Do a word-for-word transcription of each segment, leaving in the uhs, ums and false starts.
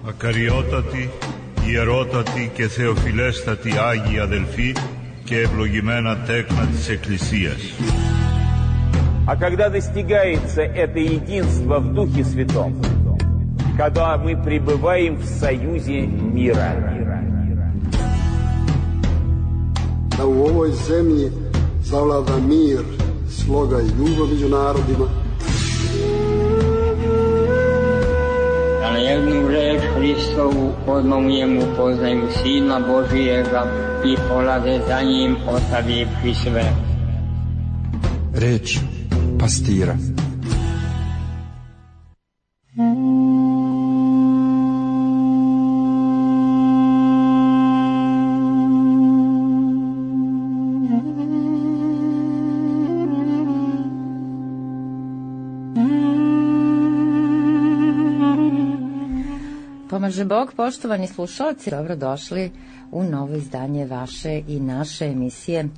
Ακαριότατοι, ιερότατοι και θεοφιλέστατοι Άγιοι αδελφοί και ευλογημένα τέκνα της Εκκλησίας. А когда достигается это единство в Духе Святом, когда мы пребываем в союзе мира. Da u ovoj zemlji zavlada mir, sloga i ljubav među narodima. Da na jednu reč Hristovu odmah mu poznaju Sina Božijega i polade za njim ostavivši sve. Reč pastira. Pomaže Bog, poštovani slušalci, dobrodošli u novo izdanje vaše i naše emisije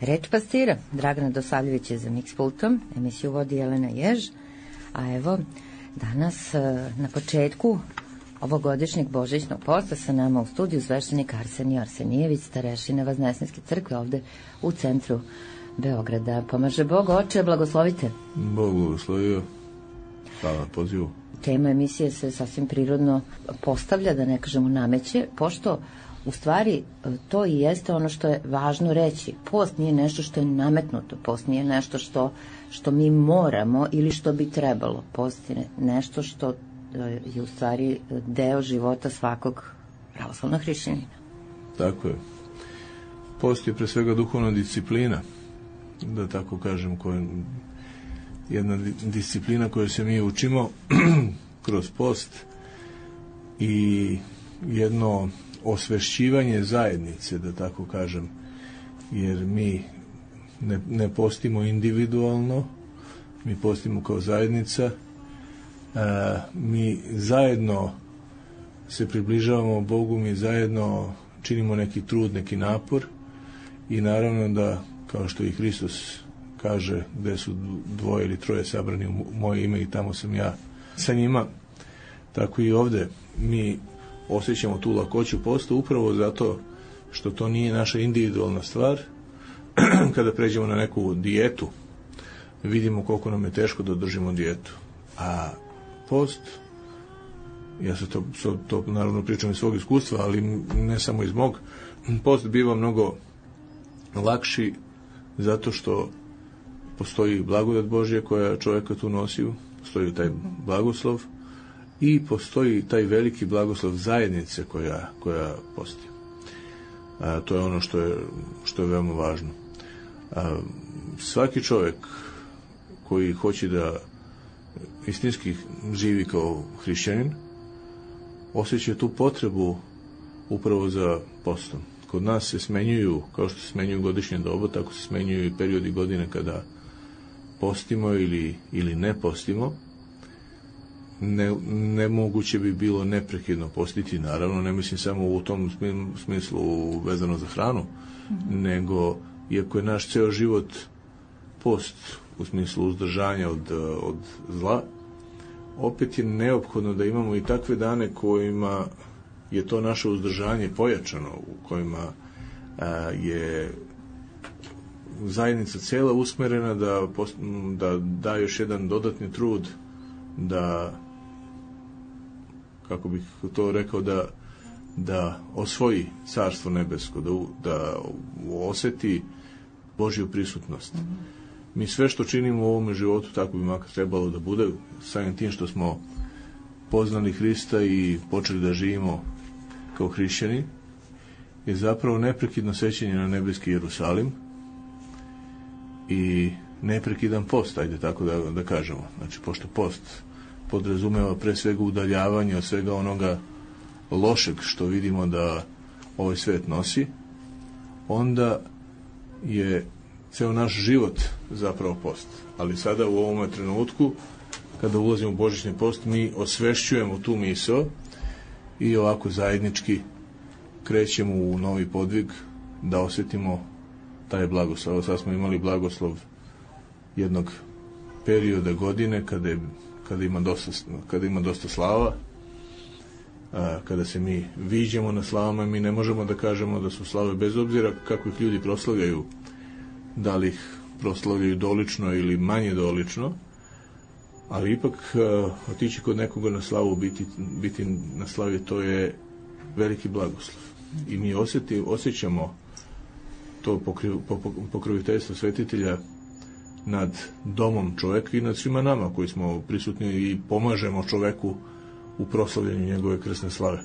Reč pastira. Dragana Dosavljević je za Mix pultom, emisiju vodi Jelena Jež, a evo danas na početku ovogodišnjeg božićnog posta sa nama u studiju sveštenik Arsenije Arsenijević, starešina Vaznesenske crkve ovde u centru Beograda. Pomaže Bog, oče, blagoslovite. Bog blagoslovio, hvala na pozivu. Tema emisije se sasvim prirodno postavlja, da ne kažemo nameće, pošto u stvari to i jeste ono što je važno reći. Post nije nešto što je nametnuto, post nije nešto što, što mi moramo ili što bi trebalo. Post je nešto što je u stvari deo života svakog pravoslavnog hrišćanina. Tako je. Post je pre svega duhovna disciplina, da tako kažem, koja jedna disciplina koju se mi učimo kroz post i jedno osvešćivanje zajednice, da tako kažem, jer mi ne, ne postimo individualno, mi postimo kao zajednica, a, mi zajedno se približavamo Bogu, mi zajedno činimo neki trud, neki napor i naravno da, kao što i Hristos kaže, gde su dvoje ili troje sabrani u moje ime i tamo sam ja sa njima, tako i ovde mi osjećamo tu lakoću posta upravo zato što to nije naša individualna stvar. Kada pređemo na neku dijetu, vidimo koliko nam je teško da držimo dijetu. A post, ja se to, to naravno pričam iz svog iskustva, ali ne samo iz mog, post biva mnogo lakši zato što postoji blagodat Božja koja čovjeka tu nosi, postoji taj blagoslov i postoji taj veliki blagoslov zajednice koja, koja posti. A, to je ono što je, što je veoma važno. A, svaki čovjek koji hoće da istinski živi kao hrišćanin osjeća tu potrebu upravo za postom. Kod nas se smenjuju, kao što se smenjuju godišnje doba, tako se smenjuju i periodi godine kada postimo ili, ili ne postimo. Ne, nemoguće bi bilo neprekidno postiti, naravno, ne mislim samo u tom smislu vezano za hranu, mm-hmm. nego, iako je naš ceo život post u smislu uzdržanja od, od zla, opet je neophodno da imamo i takve dane kojima je to naše uzdržanje pojačano, u kojima a, je zajednica cela usmerena da, da da još jedan dodatni trud da, kako bih to rekao, da, da osvoji carstvo nebesko, da, da oseti Božju prisutnost. Mm-hmm. Mi sve što činimo u ovome životu, tako bi makar trebalo da bude, samim tim što smo poznali Hrista i počeli da živimo kao hrišćani, je zapravo neprekidno sećanje na nebeski Jerusalim i neprekidan post, ajde tako da, da kažemo. Znači, pošto post podrazumeva pre svega udaljavanje od svega onoga lošeg što vidimo da ovaj svet nosi, onda je ceo naš život zapravo post. Ali sada u ovom trenutku, kada ulazimo u božićni post, mi osvešćujemo tu misao i ovako zajednički krećemo u novi podvig da osjetimo taj blagoslov. Sad smo imali blagoslov jednog perioda godine kada, je, kada, ima, dosta, kada ima dosta slava, a, kada se mi viđemo na slavama, mi ne možemo da kažemo da su slave, bez obzira kako ih ljudi proslavljaju, da li ih proslavljaju dolično ili manje dolično, ali ipak a, otići kod nekoga na slavu, biti, biti na slavi, to je veliki blagoslov. I mi osjeti, osjećamo to pokriv, pokroviteljstvo svetitelja nad domom čoveka i nad svima nama koji smo prisutni i pomažemo čoveku u proslavljanju njegove krsne slave.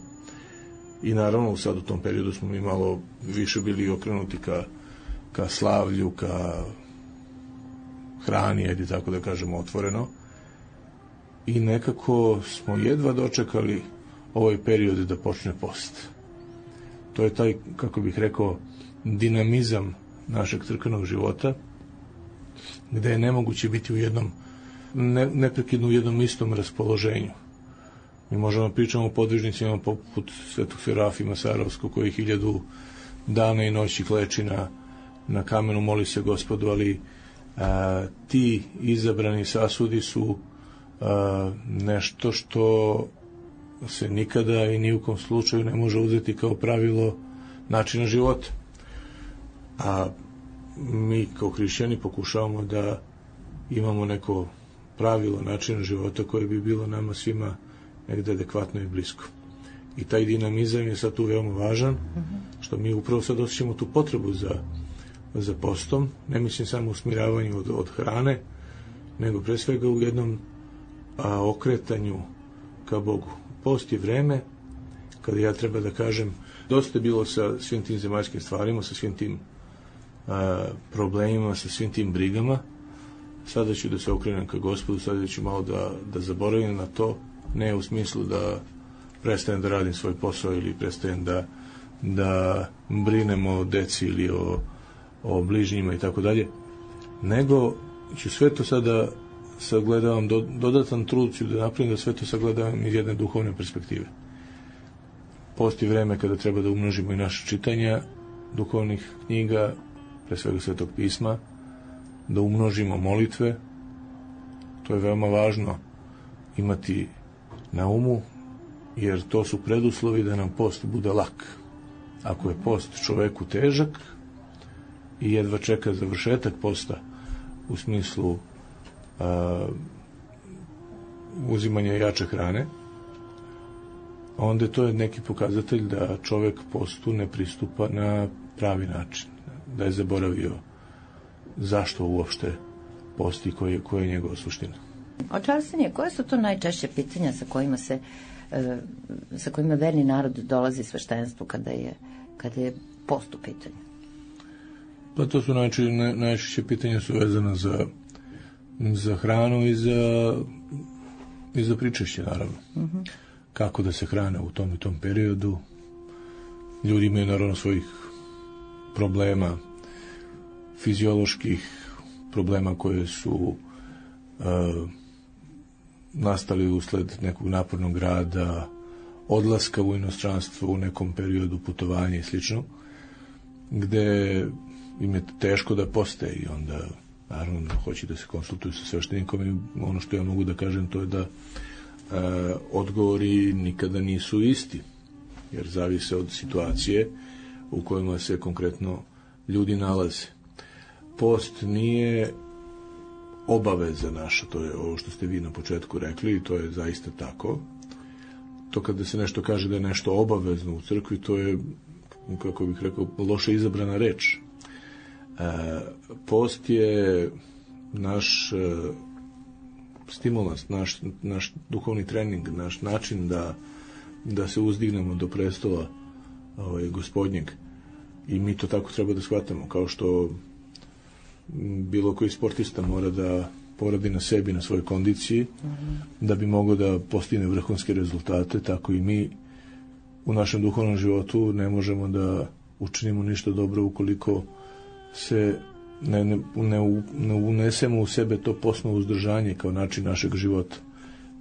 I naravno sad u tom periodu smo mi malo više bili okrenuti ka, ka slavlju, ka hrani, ajde tako da kažemo otvoreno, i nekako smo jedva dočekali ovaj period da počne post. To je taj, kako bih rekao, dinamizam našeg crkvenog života, gde je nemoguće biti u jednom, ne, neprekidno u jednom istom raspoloženju. Mi možemo pričamo o podvižnicima poput Svetog Serafima Sarovskog, koji hiljadu dana i noći kleči na, na kamenu, moli se Gospodu, ali a, ti izabrani sasudi su a, nešto što se nikada i ni u kom slučaju ne može uzeti kao pravilo načina života. A mi kao hrišćani pokušavamo da imamo neko pravilo načina života koje bi bilo nama svima negde adekvatno i blisko. I taj dinamizam je sad tu veoma važan, što mi upravo sad osjećamo tu potrebu za, za postom, ne mislim samo u smiravanju od, od hrane, nego pre svega u jednom a, okretanju ka Bogu. Post je vreme kada ja treba da kažem, dosta je bilo sa svim tim zemaljskim stvarima, sa svim tim a, problemima, sa svim tim brigama. Sada ću da se okrenem ka Gospodu, sada ću malo da, da zaboravim na to, ne u smislu da prestajem da radim svoj posao ili prestajem da, da brinem o deci ili o, o bližnjima i tako dalje, nego ću sve to sada sagledavam, do, dodatan trud ću da napravim da sve to sagledavam iz jedne duhovne perspektive. Postoji vreme kada treba da umnožimo i naše čitanja duhovnih knjiga, pre svega Svetog pisma, da umnožimo molitve. To je veoma važno imati na umu, jer to su preduslovi da nam post bude lak. Ako je post čoveku težak i jedva čeka završetak posta u smislu a, uzimanja jače hrane, onda to je neki pokazatelj da čovek postu ne pristupa na pravi način, da je zaboravio zašto uopšte posti, koja je, koja je njegova suština. Očarstvenije, koje su to najčešće pitanja sa kojima se e, sa kojima verni narod dolazi sveštenstvu kada je, kada je post u pitanju? Pa to su najčešće, naj, najčešće pitanja su vezana za, za hranu i za, i za pričešće, naravno. Uh-huh. Kako da se hrane u tom i tom periodu. Ljudi imaju naravno svojih problema, fizioloških problema koje su uh, nastali usled nekog napornog rada, odlaska u inostranstvo u nekom periodu, putovanja i slično, gde im je teško da poste i onda naravno hoće da se konsultuju sa sveštenikom i ono što ja mogu da kažem to je da e, odgovori nikada nisu isti, jer zavise od situacije u kojima se konkretno ljudi nalaze. Post nije obaveza naša, to je ovo što ste vi na početku rekli i to je zaista tako. To kada se nešto kaže da je nešto obavezno u crkvi, to je, kako bih rekao, loše izabrana reč. E, post je naš e, stimulans, naš, naš duhovni trening, naš način da, da se uzdignemo do prestola ovaj, Gospodnjeg. I mi to tako treba da shvatamo, kao što bilo koji sportista mora da poradi na sebi, na svojoj kondiciji, uh-huh. da bi mogao da postigne vrhunske rezultate, tako i mi u našem duhovnom životu ne možemo da učinimo ništa dobro ukoliko se ne, ne, ne, ne unesemo u sebe to postno uzdržanje kao način našeg života.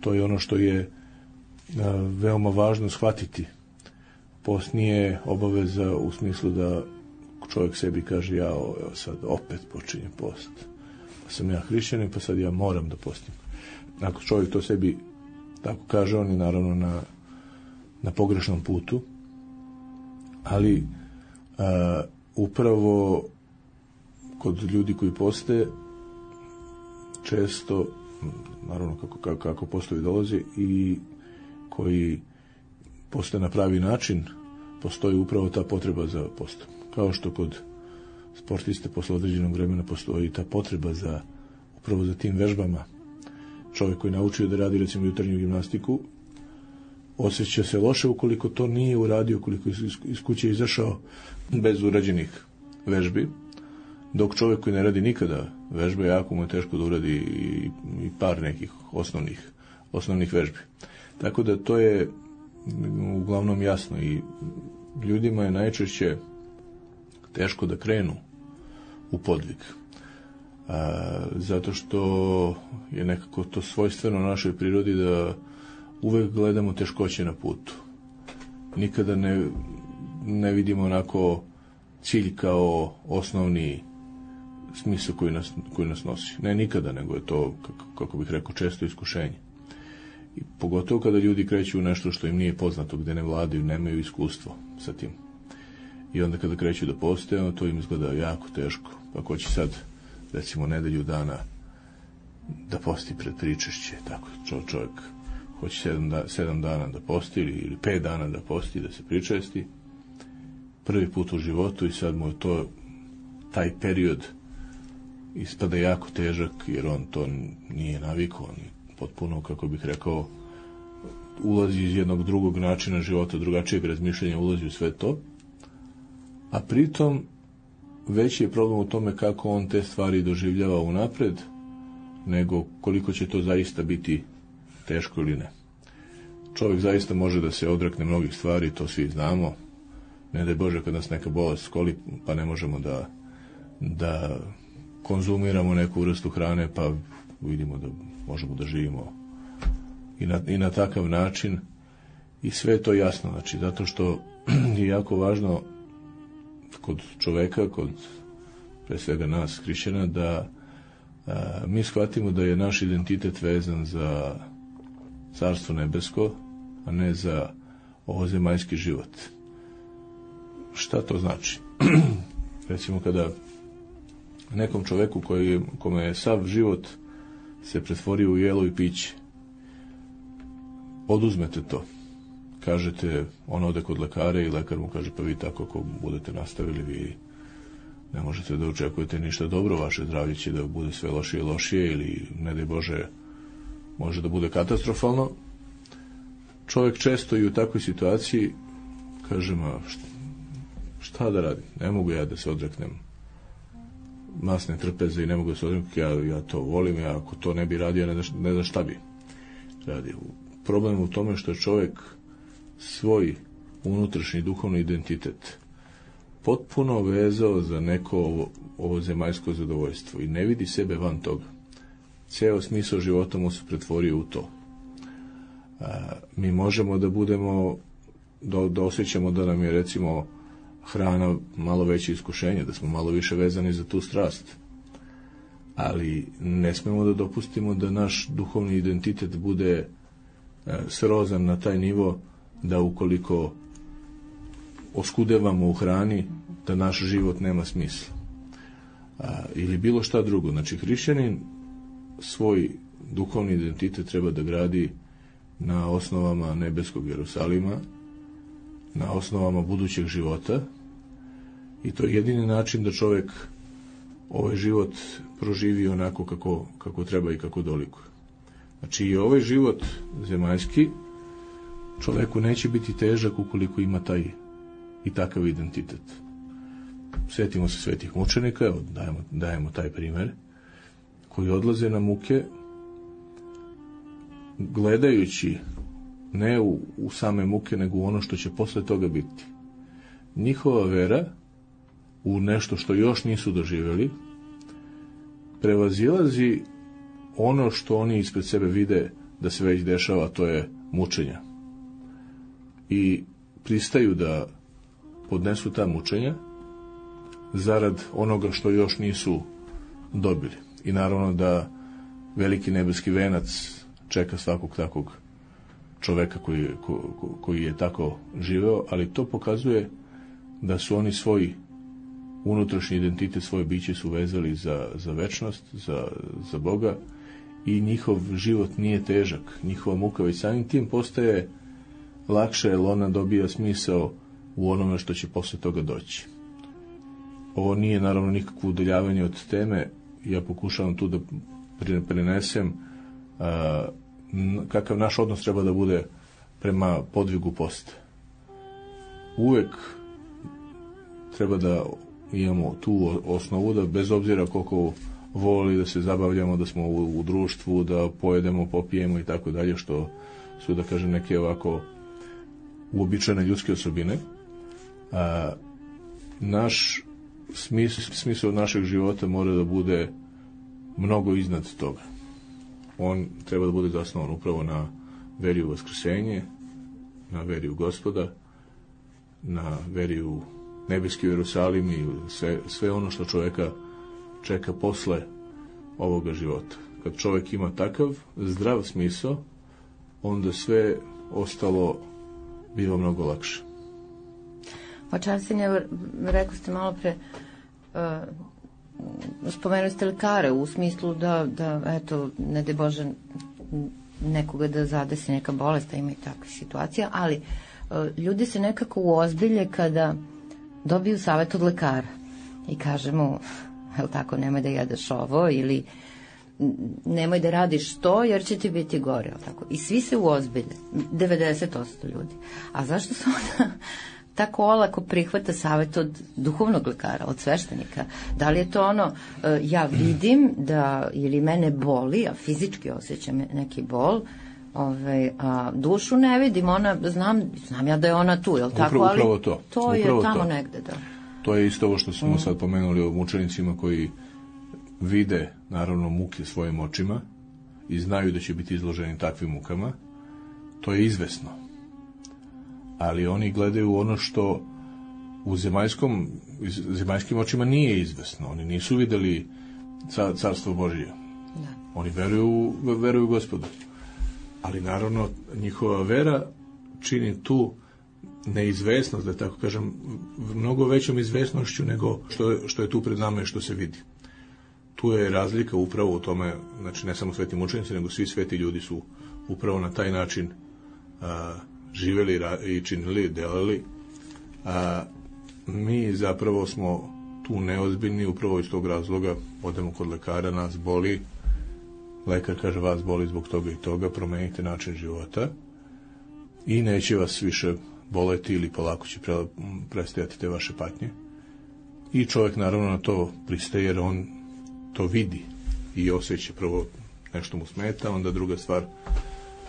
To je ono što je a, veoma važno shvatiti. Post nije obaveza u smislu da čovjek sebi kaže ja evo sad opet počinje post. Pa sam ja hrišćanin, pa sad ja moram da postim. Ako čovjek to sebi tako kaže, on je naravno na, na pogrešnom putu, ali a, upravo kod ljudi koji poste često, naravno kako, kako, kako postoji dolazi, i koji poste na pravi način, postoji upravo ta potreba za postom. Kao što kod sportiste posle određenog vremena postoji ta potreba za upravo za tim vežbama. Čovjek koji naučio da radi recimo jutarnju gimnastiku osjeća se loše ukoliko to nije uradio, ukoliko iz kuće izašao bez urađenih vežbi, dok čovjek koji ne radi nikada vežbe, jako mu je teško da uradi i, i par nekih osnovnih, osnovnih vežbi. Tako da to je uglavnom jasno i ljudima je najčešće teško da krenu u podvig. A, zato što je nekako to svojstveno našoj prirodi da uvek gledamo teškoće na putu. Nikada ne, ne vidimo onako cilj kao osnovni smisao koji nas, koji nas nosi. Ne nikada, nego je to, kako, kako bih rekao, često iskušenje. I pogotovo kada ljudi kreću u nešto što im nije poznato, gde ne vladaju, nemaju iskustvo sa tim. I onda kada kreću da poste, ono to im izgleda jako teško. Pa ko će sad, recimo, nedelju dana da posti pred pričešće, tako čovjek hoće sedam, da, sedam dana da posti ili, ili pet dana da posti, da se pričesti, prvi put u životu, i sad mu je to, taj period ispada jako težak, jer on to nije navikao, on potpuno, kako bih rekao, ulazi iz jednog drugog načina života, drugačijeg razmišljanja, ulazi u sve to, a pritom veći je problem u tome kako on te stvari doživljava unapred, nego koliko će to zaista biti teško ili ne. Čovjek zaista može da se odrekne mnogih stvari, to svi znamo. Ne daj Bože kad nas neka bolest skoli, pa ne možemo da, da konzumiramo neku vrstu hrane, pa vidimo da možemo da živimo i na, i na takav način. I sve je to jasno, znači, zato što je jako važno kod čoveka, kod pre svega nas, hrišćana, da a, mi shvatimo da je naš identitet vezan za Carstvo nebesko, a ne za ovozemaljski život. Šta to znači? Recimo kada nekom čoveku koji, kome je sav život se pretvorio u jelo i piće, oduzmete to, kažete, on ode kod lekara i lekar mu kaže, pa vi tako ako budete nastavili, vi ne možete da očekujete ništa dobro, vaše zdravlje će da bude sve lošije i lošije, ili ne daj Bože može da bude katastrofalno. Čovjek često i u takvoj situaciji kaže, ma šta, šta da radim, ne mogu ja da se odreknem masne trpeze i ne mogu da se odreknem, ja, ja to volim, ja ako to ne bi radio, ne, ne znam šta bi radio. Problem u tome što je čovjek svoj unutrašnji duhovni identitet potpuno vezao za neko ovo, ovo zemaljsko zadovoljstvo i ne vidi sebe van toga. Ceo smisao života mu se pretvorio u to. A, mi možemo da budemo, da, da osjećamo da nam je recimo hrana malo veće iskušenje, da smo malo više vezani za tu strast. Ali ne smemo da dopustimo da naš duhovni identitet bude a, srozan na taj nivo da ukoliko oskudevamo u hrani, da naš život nema smisla. A, ili bilo šta drugo. Znači, hrišćanin svoj duhovni identitet treba da gradi na osnovama nebeskog Jerusalima, na osnovama budućeg života, i to je jedini način da čovjek ovaj život proživi onako kako, kako treba i kako dolikuje. Znači, i ovaj život zemaljski čovjeku neće biti težak ukoliko ima taj i takav identitet. Sjetimo se svetih mučenika, evo, dajemo, dajemo taj primjer, koji odlaze na muke gledajući ne u, u same muke, nego u ono što će posle toga biti. Njihova vera u nešto što još nisu doživjeli prevazilazi ono što oni ispred sebe vide da se već dešava, to je mučenja. I pristaju da podnesu ta mučenja zarad onoga što još nisu dobili. I naravno da veliki nebeski venac čeka svakog takvog čoveka koji, ko, koji je tako živeo, ali to pokazuje da su oni svoj unutrašnji identitet, svoje biće su vezali za, za večnost, za, za Boga, i njihov život nije težak, njihova muka već samim tim postaje lakše, jer ona dobija smisao u onome što će posle toga doći. Ovo nije naravno nikakvo udaljavanje od teme, ja pokušavam tu da prenesem a, kakav naš odnos treba da bude prema podvigu posta. Uvek treba da imamo tu osnovu, da bez obzira koliko voli da se zabavljamo, da smo u, u društvu, da pojedemo, popijemo i tako dalje, što su, da kažem, neke ovako uobičajene ljudske osobine, a, naš smisao, smisao našeg života mora da bude mnogo iznad toga. On treba da bude zasnovan upravo na veri u vaskrsenje, na veri u Gospoda, na veri u nebeski Jerusalim i sve, sve ono što čovjeka čeka posle ovoga života. Kad čovjek ima takav zdrav smisao, onda sve ostalo biva mnogo lakše. Očarstvenje, rekli ste malo pre, uh, spomenuli ste lekare u smislu da, da eto, ne daj Bože nekoga da zadesi neka bolest, a ima i takve situacija, ali uh, ljudi se nekako uozbilje kada dobiju savjet od lekara i kaže mu, je li tako, nemoj da jedeš ovo, ili nemoj da radiš to jer će ti biti gore, je li tako? I svi se uozbilje, devedeset posto ljudi. A zašto se onda tako olako prihvata savjet od duhovnog lekara, od sveštenika? Da li je to ono, ja vidim da ili mene boli, a fizički osjećam neki bol, ovaj, a dušu ne vidim, ona, znam, znam ja da je ona tu, je li tako? Upravo, upravo ali to. to je upravo tamo to. negde, da. To je isto ovo što smo Mm. sad pomenuli o mučenicima koji vide, naravno, muke svojim očima i znaju da će biti izloženi takvim mukama. To je izvesno. Ali oni gledaju ono što u zemaljskom, zemaljskim očima nije izvesno. Oni nisu videli car, carstvo Božije. Da. Oni veruju, veruju Gospodu. Ali naravno njihova vera čini tu neizvesnost, da tako kažem, mnogo većom izvesnošću nego što je, što je tu pred nama i što se vidi. Tu je razlika upravo u tome, znači ne samo sveti mučenici, nego svi sveti ljudi su upravo na taj način a, živeli i činili, delali. A mi zapravo smo tu neozbiljni, upravo iz tog razloga odemo kod lekara, nas boli, lekar kaže vas boli zbog toga i toga, promenite način života i neće vas više boleti ili polako će pre, prestajati te vaše patnje. I čovjek naravno na to pristaje jer on to vidi i osjeća. Prvo nešto mu smeta, onda druga stvar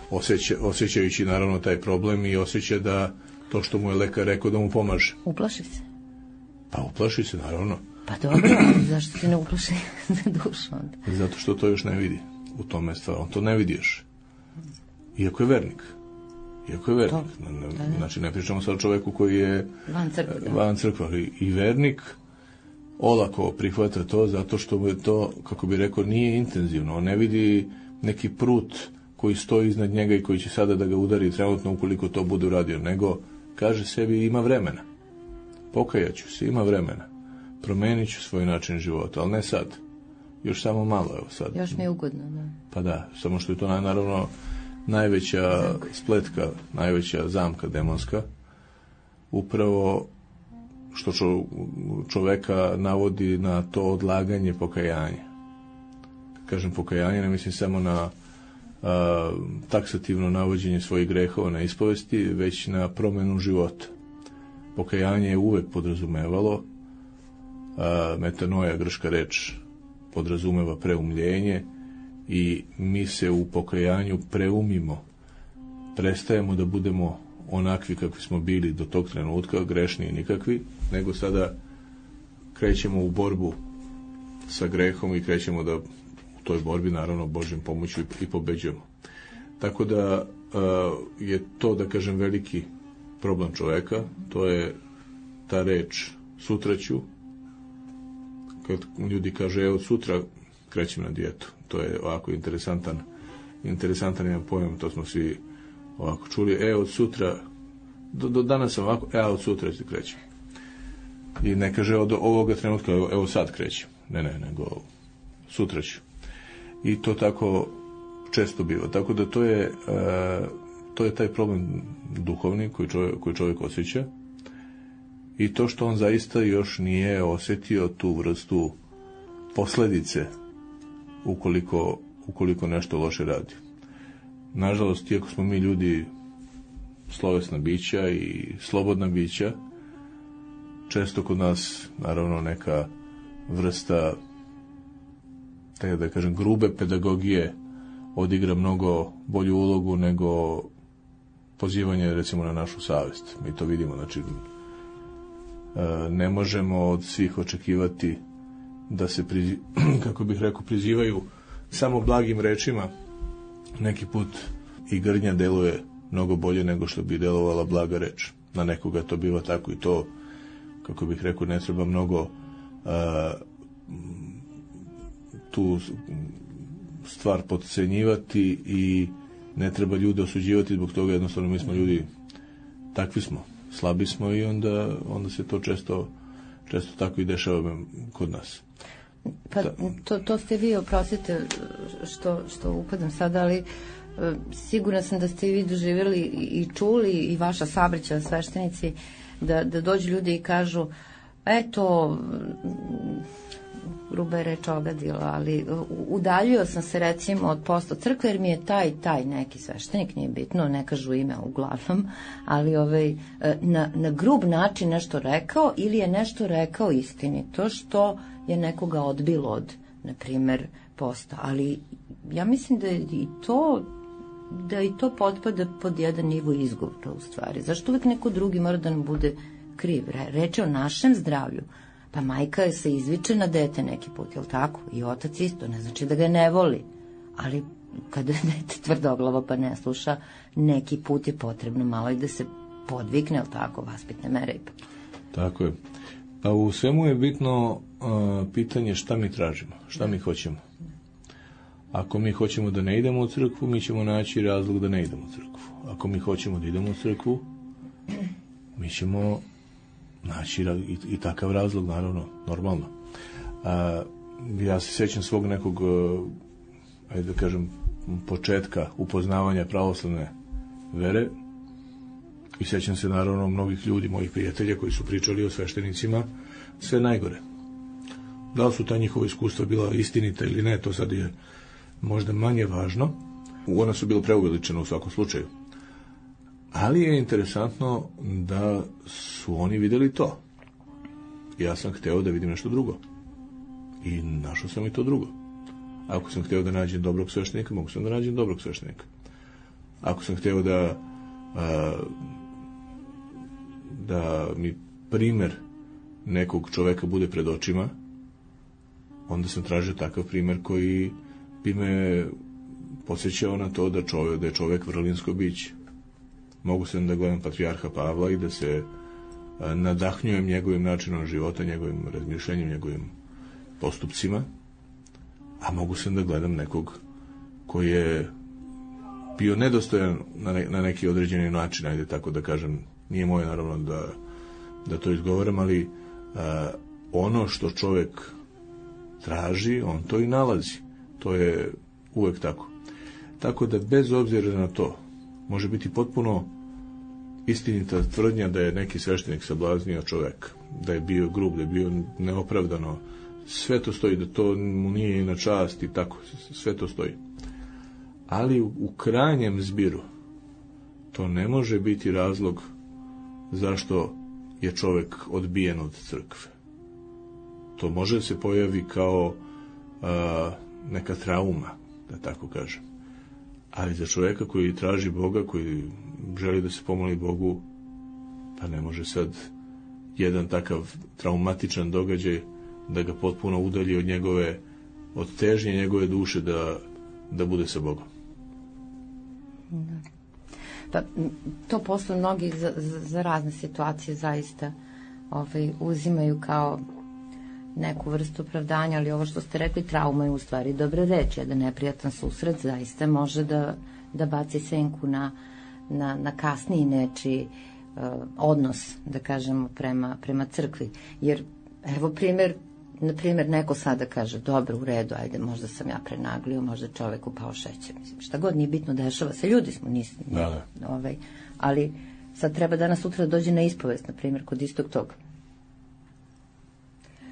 osjeća, osjećajući naravno taj problem i osjeća da to što mu je lekar rekao da mu pomaže. Uplaši se? Pa uplaši se, naravno. Pa dobro, ali zašto se ne uplaši za dušu onda? Zato što to još ne vidi. U tome je stvar. On to ne vidi još. Iako je vernik. Iako je vernik. To, ne, da, da. Znači, ne pričamo sad o čoveku koji je van crkve, da. van crkve, ali i vernik olako prihvata to zato što mu je to, kako bi rekao, nije intenzivno. On ne vidi neki prut koji stoji iznad njega i koji će sada da ga udari trenutno ukoliko to bude uradio, nego kaže sebi ima vremena. Pokajaću se, ima vremena. Promenit ću svoj način života, ali ne sad. Još samo malo, evo sad. Još mi je ugodno, da. Pa da, samo što je to naravno najveća Zamka. spletka, najveća zamka demonska, upravo što čo, čoveka navodi na to odlaganje pokajanja. Kad kažem pokajanje, ne mislim samo na a, taksativno navođenje svojih grehova na ispovesti, već na promenu života. Pokajanje je uvek podrazumevalo, a, metanoja, grčka reč, podrazumeva preumljenje i mi se u pokajanju preumimo, prestajemo da budemo onakvi kakvi smo bili do tog trenutka, grešni i nikakvi, nego sada krećemo u borbu sa grehom i krećemo da u toj borbi, naravno, Božjom pomoću i pobeđujemo. Tako da uh, je to, da kažem, veliki problem čoveka, to je ta reč sutra ću. Kad ljudi kaže, evo sutra krećem na dijetu. To je ovako interesantan, interesantan jedan pojam, to smo svi ovako čuli, e, od sutra, do, do danas sam ovako, e, a od sutra se krećem. I ne kaže od ovoga trenutka, evo, evo sad krećem. Ne, ne, nego sutra ću. I to tako često biva. Tako da to je, uh, to je taj problem duhovni koji čovjek, koji čovjek osjeća. I to što on zaista još nije osjetio tu vrstu posljedice ukoliko, ukoliko nešto loše radi. Nažalost, iako smo mi ljudi slovesna bića i slobodna bića, često kod nas, naravno, neka vrsta, tako da kažem, grube pedagogije odigra mnogo bolju ulogu nego pozivanje, recimo, na našu savjest. Mi to vidimo, znači, ne možemo od svih očekivati da se, prizi, kako bih rekao, prizivaju samo blagim rečima. Neki put i grdnja deluje mnogo bolje nego što bi delovala blaga reč. Na nekoga to biva tako i to, kako bih rekao, ne treba mnogo a, tu stvar podcenjivati i ne treba ljude osuđivati zbog toga, jednostavno mi smo ljudi, takvi smo, slabi smo i onda, onda se to često, često tako i dešava kod nas. Pa to, to ste vi, oprostite što, što upadam sada, ali sigurna sam da ste i vi doživjeli i čuli i vaša sabraća sveštenici da, da dođu ljudi i kažu eto, gruba je reč ogadila, ali udaljio sam se recimo od posta crkve jer mi je taj taj neki sveštenik, nije bitno, ne kažu ime uglavnom, ali ovaj, na, na grub način nešto rekao ili je nešto rekao istinito što je nekoga odbilo od, na primjer, posta. Ali ja mislim da je i to da i to potpada pod jedan nivo izgovora u stvari. Zašto uvijek neko drugi mora da nam bude kriv? Reč je o našem zdravlju. Pa majka se izviče na dete neki put, jel tako? I otac isto, ne znači da ga ne voli. Ali kada je dete tvrdoglavo pa ne sluša, neki put je potrebno malo i da se podvikne, jel tako, vaspitne mere ipak. Tako je. Pa u svemu je bitno uh, pitanje šta mi tražimo, šta mi hoćemo. Ako mi hoćemo da ne idemo u crkvu, mi ćemo naći razlog da ne idemo u crkvu. Ako mi hoćemo da idemo u crkvu, mi ćemo naći i, i takav razlog, naravno, normalno. A, ja se sjećam svog nekog, ajde da kažem, početka upoznavanja pravoslavne vere i sjećam se, naravno, mnogih ljudi, mojih prijatelja koji su pričali o sveštenicima sve najgore. Da li su ta njihova iskustva bila istinita ili ne, to sad je možda manje važno. Ona su bila preuveličena u svakom slučaju. Ali je interesantno da su oni vidjeli to. Ja sam hteo da vidim nešto drugo. I našao sam i to drugo. Ako sam hteo da nađem dobrog sveštenika, mogu sam da nađem dobrog sveštenika. Ako sam hteo da a, da mi primer nekog čoveka bude pred očima, onda sam tražio takav primer koji bi me podsjećao na to da, čovjek, da je čovjek vrlinsko biće. Mogu sam da gledam patrijarha Pavla i da se a, nadahnjujem njegovim načinom života, njegovim razmišljanjem, njegovim postupcima, a mogu sam da gledam nekog koji je bio nedostojan na, ne, na neki određeni način, ajde tako da kažem, nije moje naravno da, da to izgovaram, ali a, ono što čovjek traži, on to i nalazi. To je uvek tako. Tako da bez obzira na to, može biti potpuno istinita tvrdnja da je neki sveštenik sablaznio čovjeka, da je bio grub, da je bio neopravdano, sve to stoji, da to mu nije na čast i tako, sve to stoji. Ali u, u krajnjem zbiru to ne može biti razlog zašto je čovjek odbijen od crkve. To može da se pojavi kao a, neka trauma, da tako kažem. Ali za čovjeka koji traži Boga, koji želi da se pomoli Bogu, pa ne može sad jedan takav traumatičan događaj da ga potpuno udalji od njegove, od težnje njegove duše da, da bude sa Bogom. Pa to posle mnogi za, za, za razne situacije zaista ovaj, uzimaju kao neku vrstu opravdanja, ali ovo što ste rekli, trauma je u stvari dobra reč, jedan neprijatan susret zaista može da, da baci senku na, na, na kasniji nečiji uh, odnos, da kažemo, prema, prema crkvi. Jer, evo primjer, na primjer, neko sada kaže, dobro, u redu, ajde, možda sam ja prenaglio, možda čovek upao šećer. Mislim, šta god nije bitno, dešava se, ljudi smo, nismo. Da, da. Ovaj, ali sad treba danas sutra da dođe na ispovest, na primjer, kod istog toga.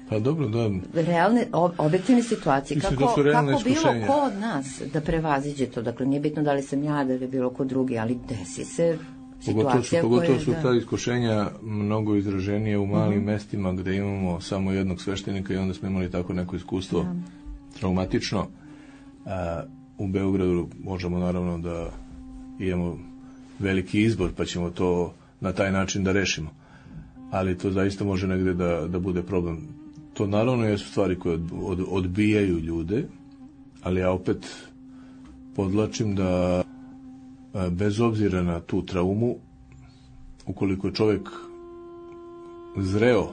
Pa dobro, da. Realne, objektivne situacije. Mislim, kako, da kako bilo iskušenja. ko od nas da prevaziđe to? Dakle, nije bitno da li sam ja, da li je bilo ko drugi, ali desi se situacija pogotovo su, pogotovo koje... su da... ta iskušenja mnogo izraženije u malim mm-hmm. mestima gde imamo samo jednog sveštenika i onda smo imali tako neko iskustvo ja. traumatično. A, u Beogradu možemo naravno da imamo veliki izbor, pa ćemo to na taj način da rešimo. Ali to zaista može negde da, da bude problem. To naravno jesu stvari koje od, od, odbijaju ljude, ali ja opet podlačim da a, bez obzira na tu traumu, ukoliko je čovjek zreo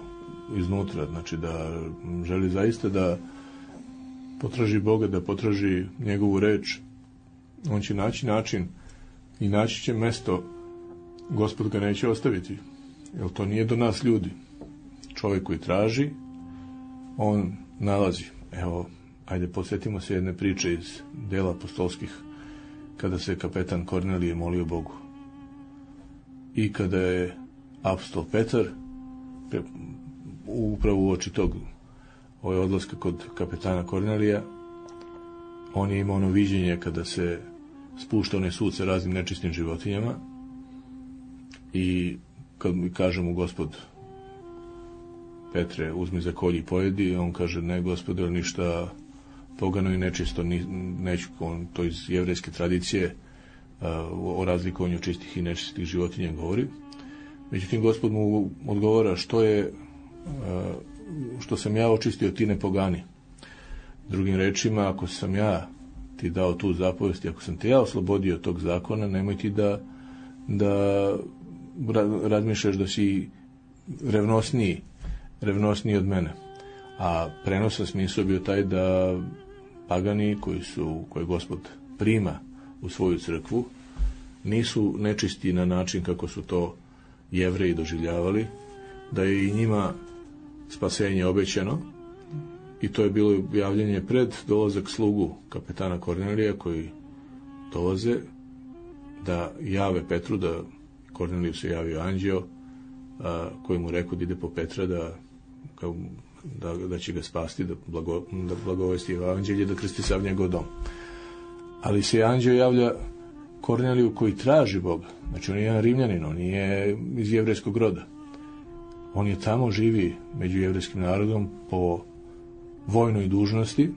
iznutra, znači da želi zaista da potraži Boga, da potraži njegovu reč, on će naći način i naći će mesto, Gospod ga neće ostaviti, jer to nije do nas ljudi. Čovjek koji traži, on nalazi. Evo, ajde podsjetimo se jedne priče iz dela apostolskih, kada se kapetan Kornelije molio Bogu. I kada je apostol Petar, upravo uoči tog ove odlaska kod kapetana Kornelija, on je imao ono viđenje kada se spušta onaj sud sa raznim nečistim životinjama i kad mi kaže mu Gospod, Petre, uzmi za kolje i pojedi, on kaže, ne Gospode, ništa pogano i nečisto, ni, neću, on to iz jevrejske tradicije uh, o razlikovanju čistih i nečistih životinja govori. Međutim, Gospod mu odgovara, što je uh, što sam ja očistio, ti ne pogani. Drugim rečima, ako sam ja ti dao tu zapovest i ako sam te ja oslobodio tog zakona, nemoj ti da, da razmišljaš da si revnosniji, revnosniji od mene. A prenosan smisao bio taj da pagani koji su, koje Gospod prima u svoju crkvu, nisu nečisti na način kako su to Jevreji doživljavali, da je i njima spasenje obećano, i to je bilo javljanje pred dolazak slugu kapetana Kornelija, koji dolaze da jave Petru, da Korneliju se javio anđeo, a, koji mu rekao da ide po Petra, da, kao, da, da će ga spasti, da, blago, da blagovesti evanđelje, da krsti sav njegov dom. Ali se anđeo javlja Korneliju koji traži Boga. Znači on je jedan Rimljanin, on je iz jevrejskog roda. On je tamo, živi među jevrejskim narodom po vojnoj dužnosti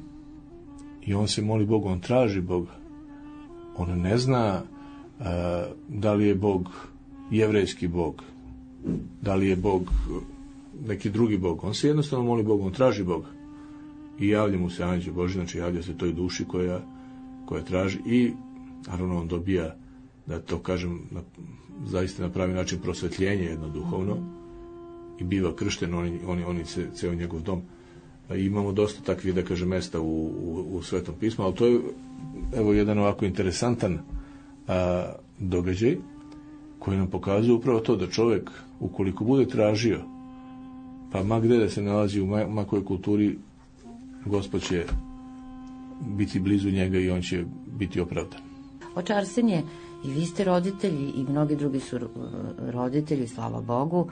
i on se moli Bogu, on traži Boga. On ne zna uh, da li je Bog jevrejski Bog, da li je Bog neki drugi Bog. On se jednostavno moli Bogu, on traži Boga. I javlja mu se anđeo Božji, znači javlja se toj duši koja, koja traži i naravno on dobija, da to kažem, na, zaista na pravi način prosvetljenje jedno duhovno i biva kršten, oni, oni, oni se, ceo njegov dom. I imamo dosta takvih, da kažem, mesta u, u, u Svetom pismu, ali to je evo jedan ovako interesantan a, događaj koji nam pokazuje upravo to da čovjek, ukoliko bude tražio, pa ma gde da se nalazi u ma, ma kojoj kulturi, Gospod će biti blizu njega i on će biti opravdan. Oče Arsenije, i vi ste roditelji i mnogi drugi su roditelji, slava Bogu,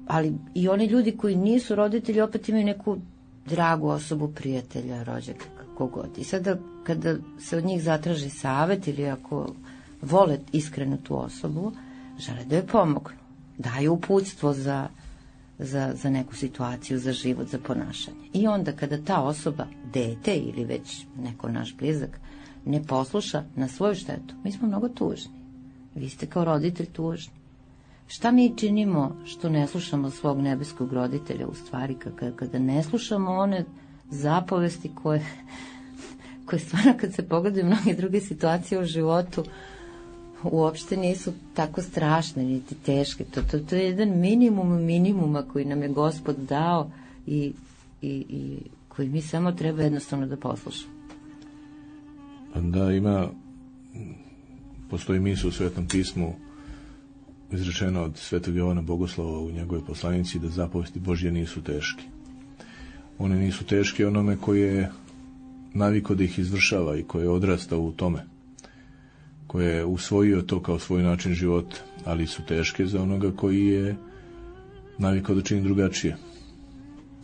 ali i oni ljudi koji nisu roditelji opet imaju neku dragu osobu, prijatelja, rođaka, kako god. I sada kada se od njih zatraži savet ili ako vole iskreno tu osobu, žele da joj pomognu, daju uputstvo za, za, za neku situaciju, za život, za ponašanje. I onda kada ta osoba, dete ili već neko naš blizak, ne posluša na svoju štetu, mi smo mnogo tužni. Vi ste kao roditelj tužni. Šta mi činimo što ne slušamo svog nebeskog roditelja, u stvari kada, kada ne slušamo one zapovesti koje, koje stvarno kad se pogledaju mnoge druge situacije u životu uopšte nisu tako strašne niti teške. To, to, to je jedan minimum minimuma koji nam je Gospod dao i, i, i koji mi samo treba jednostavno da poslušamo. Da, ima postoji misao u Svetom pismu izrečeno od Svetog Jovana Bogoslova u njegovoj poslanici da zapovesti Božje nisu teške. One nisu teške onome koji je naviko da ih izvršava i koji je odrastao u tome, koji je usvojio to kao svoj način života, ali su teške za onoga koji je navikao da čini drugačije.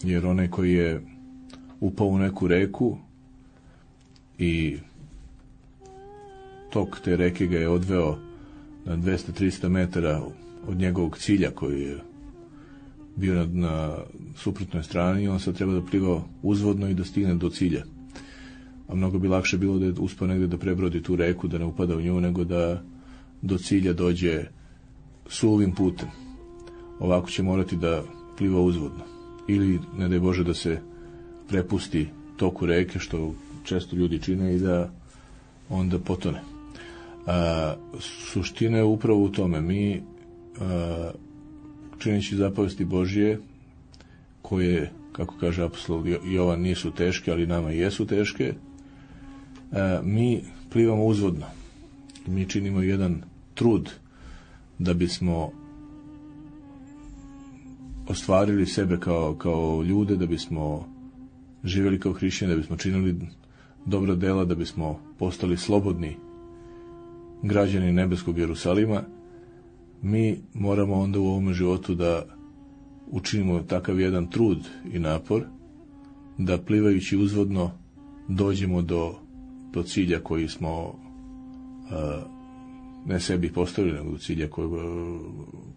Jer onaj koji je upao u neku reku i tok te reke ga je odveo na dvesta do trista metara od njegovog cilja koji je bio na, na suprotnoj strani, i on sad treba da pliva uzvodno i da stigne do cilja. A mnogo bi lakše bilo da je uspao negde da prebrodi tu reku, da ne upada u nju, nego da do cilja dođe suvim putem. Ovako će morati da pliva uzvodno. Ili, ne daj Bože, da se prepusti toku reke, što često ljudi čine, i da onda potone. A, suština je upravo u tome. Mi, a, čineći zapovesti Božje, koje, kako kaže apostol Jovan, nisu teške, ali nama jesu teške, a, mi plivamo uzvodno. Mi činimo jedan trud da bismo ostvarili sebe kao, kao ljude, da bismo živjeli kao hrišćani, da bismo činili dobra dela, da bismo postali slobodni građani nebeskog Jerusalima. Mi moramo onda u ovom životu da učinimo takav jedan trud i napor da plivajući uzvodno dođemo do, do cilja koji smo a, ne sebi postavili, nego do cilja koji,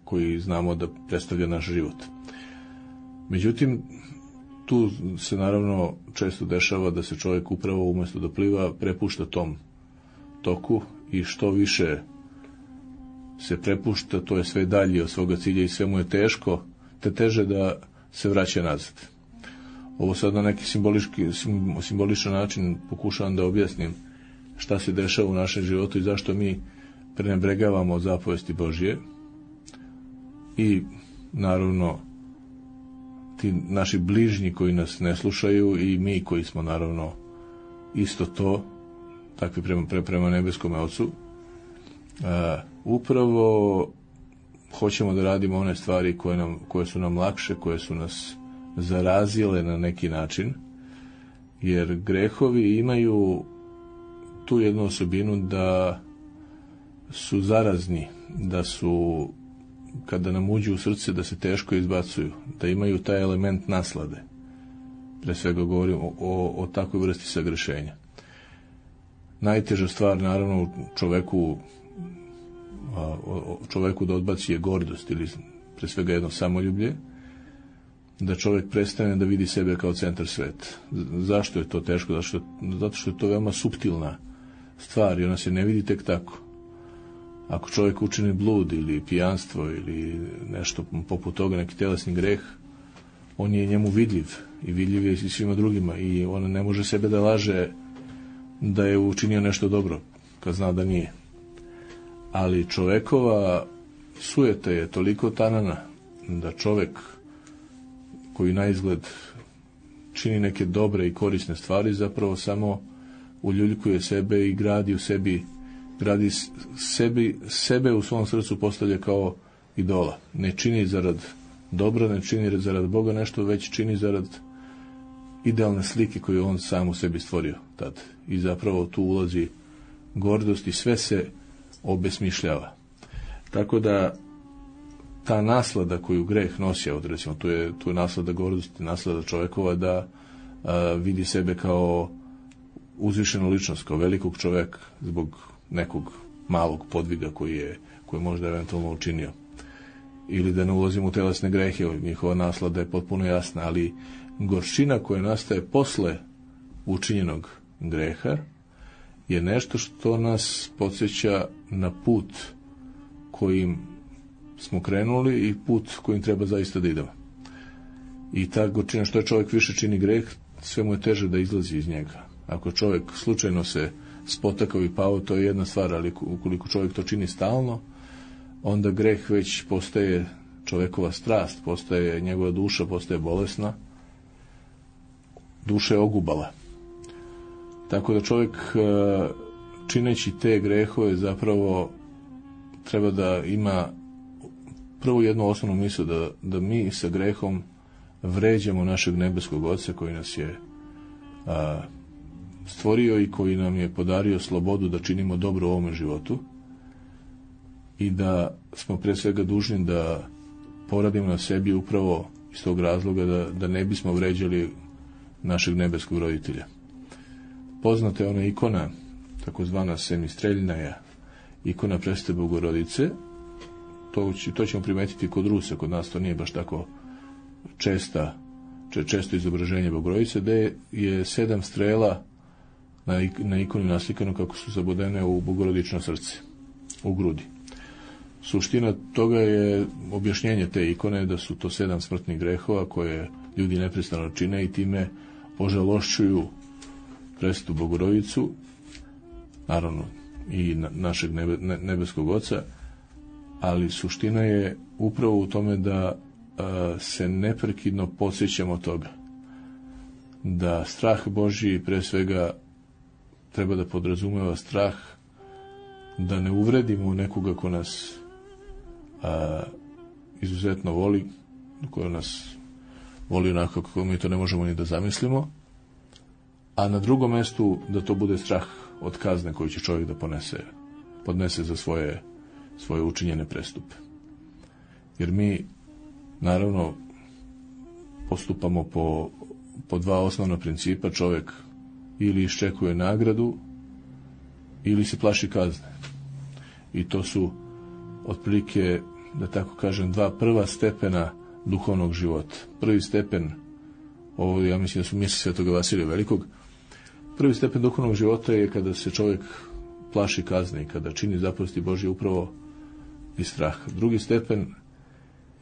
koji znamo da predstavlja naš život. Međutim, tu se naravno često dešava da se čovjek upravo umjesto da pliva prepušta tom toku, i što više se prepušta, to je sve dalje od svoga cilja i sve mu je teško, te teže da se vraća nazad. Ovo sad na neki simbolički, simboličan način pokušavam da objasnim šta se dešava u našem životu i zašto mi prenebregavamo zapovesti Božje, i naravno ti naši bližnji koji nas ne slušaju, i mi koji smo naravno isto to, takvi prema, prema nebeskome Ocu. A, upravo hoćemo da radimo one stvari koje, nam, koje su nam lakše, koje su nas zarazile na neki način, jer grehovi imaju tu jednu osobinu da su zarazni, da su, kada nam uđu u srce, da se teško izbacuju, da imaju taj element naslade. Pre svega govorim o, o, o takvoj vrsti sagrešenja. Najteža stvar, naravno, u čoveku, a, o, čoveku da odbaci je gordost, ili pre svega jedno samoljublje, da čovjek prestane da vidi sebe kao centar sveta. Zašto je to teško? Zato što, zato što je to veoma suptilna stvar i ona se ne vidi tek tako. Ako čovjek učini blud ili pijanstvo ili nešto poput toga, neki telesni greh, on je njemu vidljiv i vidljiv je i svima drugima, i on ne može sebe da laže da je učinio nešto dobro kad zna da nije. Ali čovekova sujeta je toliko tanana da čovek koji na izgled čini neke dobre i korisne stvari zapravo samo uljuljkuje sebe i gradi u sebi gradi sebi, sebe u svom srcu postavlja kao idola. Ne čini zarad dobra, ne čini zarad Boga nešto, već čini zarad idealne slike koju on sam u sebi stvorio tad. I zapravo tu ulazi gordost i sve se obesmišljava. Tako da ta naslada koju greh nosi, od recimo tu je, tu je naslada gordosti, naslada čovjekova da a, vidi sebe kao uzvišenu ličnost, kao velikog čovjeka zbog nekog malog podviga koji je, koji je možda eventualno učinio. Ili da ne ulazimo u telesne grehe, njihova naslada je potpuno jasna, ali gorčina koja nastaje posle učinjenog greha je nešto što nas podsjeća na put kojim smo krenuli i put kojim treba zaista da idemo. I ta gorčina, što je čovjek više čini greh, sve mu je teže da izlazi iz njega. Ako čovjek slučajno se spotakao i pao, to je jedna stvar, ali ukoliko čovjek to čini stalno, onda greh već postaje čovjekova strast, postaje njegova duša, postaje bolesna, duša je ogubala. Tako da čovjek čineći te grehove zapravo treba da ima prvo jednu osnovnu misao, da, da mi sa grehom vređamo našeg nebeskog Oca koji nas je a, stvorio i koji nam je podario slobodu da činimo dobro u ovome životu i da smo pre svega dužni da poradimo na sebi upravo iz tog razloga da, da ne bismo vređali našeg nebeskog roditelja. Poznata je ona ikona, takozvana semistreljnaja, ikona Presvete Bogorodice. To, to ćemo primetiti kod Rusa, kod nas to nije baš tako česta, često izobraženje Bogorodice, gde je sedam strela na, na ikoni naslikano kako su zabodene u Bogorodično srce, u grudi. Suština toga je objašnjenje te ikone da su to sedam smrtnih grehova koje ljudi neprestano čine i time ožalošćuju Presvetu Bogorodicu, naravno i na, našeg nebe, ne, nebeskog Oca, ali suština je upravo u tome da a, se neprekidno podsjećamo toga da strah Božji pre svega treba da podrazumeva strah da ne uvredimo nekoga ko nas a, izuzetno voli, ko nas voli onako kako mi to ne možemo ni da zamislimo, a na drugom mestu da to bude strah od kazne koju će čovjek da ponese, podnese za svoje, svoje učinjene prestupe. Jer mi, naravno, postupamo po, po dva osnovna principa. Čovjek ili iščekuje nagradu, ili se plaši kazne. I to su, otprilike, da tako kažem, dva prva stepena duhovnog života. Prvi stepen, ovo ja mislim da su misli Svetoga Vasilija Velikog, prvi stepen duhovnog života je kada se čovjek plaši kazne i kada čini zapovesti Božje upravo iz straha. Drugi stepen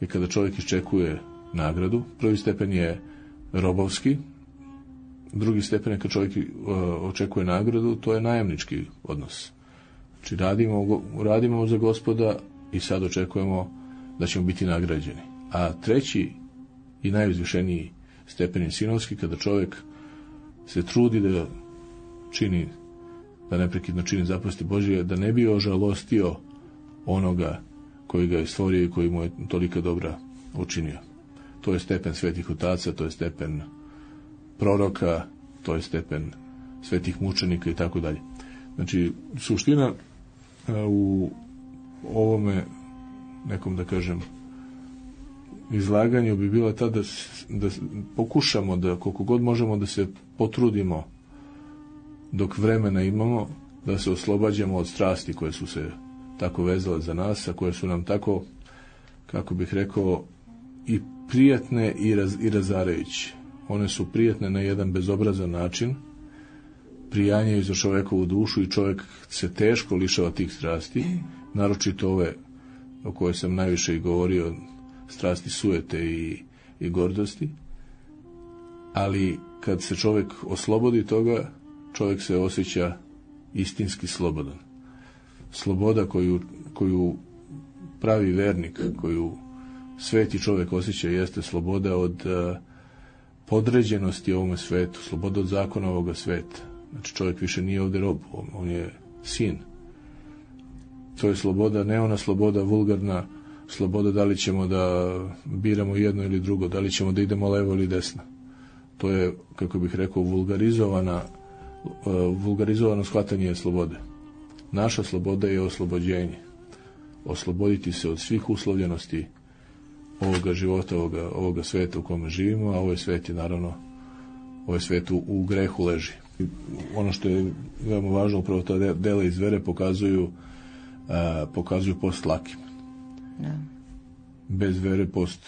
je kada čovjek iščekuje nagradu. Prvi stepen je robovski, drugi stepen je kada čovjek očekuje nagradu, to je najamnički odnos. Znači radimo, radimo za Gospoda i sad očekujemo da ćemo biti nagrađeni. A treći i najuzvišeniji stepen je sinovski, kada čovjek se trudi da čini, da neprekidno čini zapovesti Božje, da ne bi ožalostio onoga koji ga je stvorio i koji mu je tolika dobra učinio. To je stepen svetih otaca, to je stepen proroka, to je stepen svetih mučenika i tako dalje. Znači, suština u ovome nekom, da kažem, izlaganju bi bila ta da, da pokušamo da koliko god možemo da se potrudimo dok vremena imamo, da se oslobađamo od strasti koje su se tako vezale za nas, a koje su nam tako, kako bih rekao, i prijatne i, raz, i razarajuće. One su prijatne na jedan bezobrazan način, prijanjaju za čovekovu dušu i čovjek se teško lišava tih strasti, naročito ove o kojoj sam najviše i govorio, strasti sujete i, i gordosti, ali kad se čovjek oslobodi toga, čovjek se osjeća istinski slobodan. Sloboda koju, koju pravi vernik, koju sveti čovjek osjeća, jeste sloboda od uh, podređenosti ovome svetu, sloboda od zakona ovoga sveta. Znači čovjek više nije ovdje rob, on, on je sin. To je sloboda, ne ona sloboda vulgarna, sloboda da li ćemo da biramo jedno ili drugo, da li ćemo da idemo levo ili desno. To je, kako bih rekao, vulgarizovana, uh, vulgarizovano shvatanje slobode. Naša sloboda je oslobođenje. Osloboditi se od svih uslovljenosti ovoga života, ovoga, ovoga sveta u kome živimo, a ovaj svet je naravno, ovaj svet u, u grehu leži. Ono što je veoma važno, upravo ta dela iz vere pokazuju, a, pokazuju post lakim. Da. Bez vere post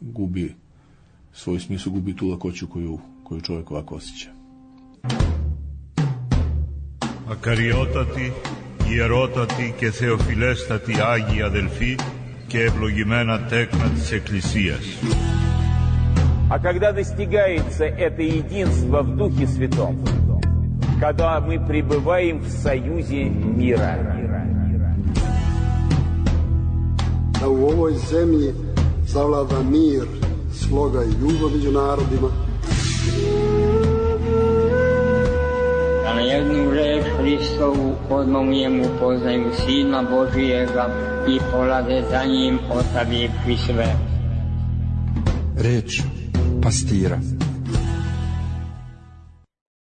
gubi svoj smisao, gubi tu lakoću koju, koju čovjek ovako osjeća. Ακαριότατοι, ιερότατοι και θεοφιλέστατοι Άγιοι αδελφοί και ευλογημένα τέκνα της Εκκλησίας. А когда достигается это единство в Духе Святом, когда мы пребываем в союзе мира, da u ovoj zemlji zavlada mir, sloga i ljubav među narodima, da na jednu reč Hristovu, odmah u njemu poznaju Sina Božijega i polaze za njim, ostavivši sve. Reč pastira.